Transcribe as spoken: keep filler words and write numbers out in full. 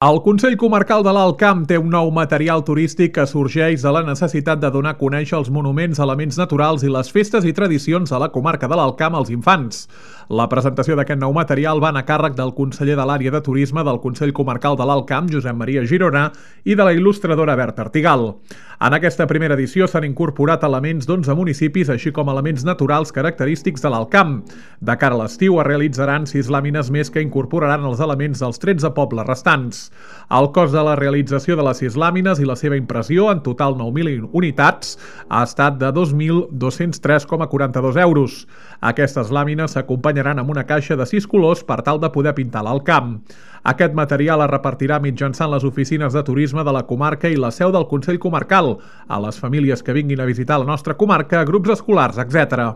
El Consell Comarcal de l'Alt Camp té un nou material turístic que sorgeix de la necessitat de donar a conèixer els monuments, elements naturals i les festes i tradicions de la comarca de l'Alt Camp als infants. La presentació d'aquest nou material va anar a càrrec del conseller de l'àrea de turisme del Consell Comarcal de l'Alt Camp, Josep Maria Girona, i de la il·lustradora Berta Artigal. En aquesta primera edició s'han incorporat elements d'onze municipis, així com elements naturals característics de l'Alt Camp. De cara a l'estiu es realitzaran sis làmines més que incorporaran els elements dels tretze pobles restants. El cost de la realització de les sis làmines i la seva impressió, en total nou mil unitats, ha estat de dos mil dos-cents tres coma quaranta-dos euros. Aquestes làmines s'acompanyaran amb una caixa de sis colors per tal de poder pintar l'Alt Camp. Aquest material es repartirà mitjançant les oficines de turisme de la comarca i la seu del Consell Comarcal, a les famílies que vinguin a visitar la nostra comarca, grups escolars, etcètera.